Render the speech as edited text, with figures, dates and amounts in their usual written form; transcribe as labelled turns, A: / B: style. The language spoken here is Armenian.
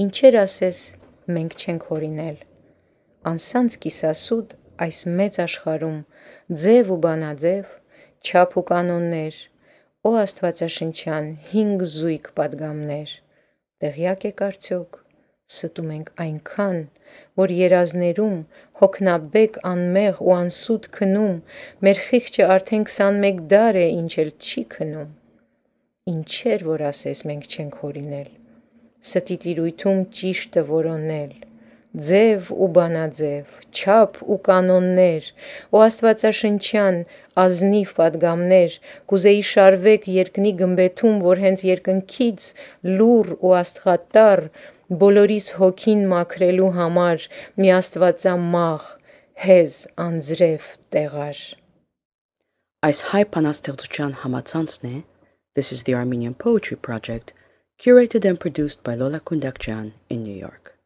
A: Ինչեր ասես մենք չենք հորինել, անսանց կիսասուտ այս մեծ աշխարհում ձև ու բանաձև, չափ ու կանոններ, օ աստվածաշնչյան 5 զույգ պատգամներ, տեղյակ եք արդյոք, ստում ենք այնքան, որ երազներում հոգնաբեկ անմեղ ու անսուտ քնում, մեր խիղճը արդեն 21 դար է, ինչ էլ չի քնում, ինչեր որ ասես մենք չենք հորինել, ստի տիրույթում ճիշտը որոնել, ձև ու բանաձև, չափ ու կանոններ, ու աստվածաշնչյան ազնիվ պատգամներ, կուզեի շարվեք երկնի գմբեթում, որ հենց երկնքից լուռ ու աստղատառ բոլորիս հոգին մաքրելու համար մի աստվածամաղ, հեզ անձրև տեղար։
B: Այս հայ բանաստեղծության համացանցն է This is the Armenian Poetry Project, curated and produced by Lola Kundakjian in New York.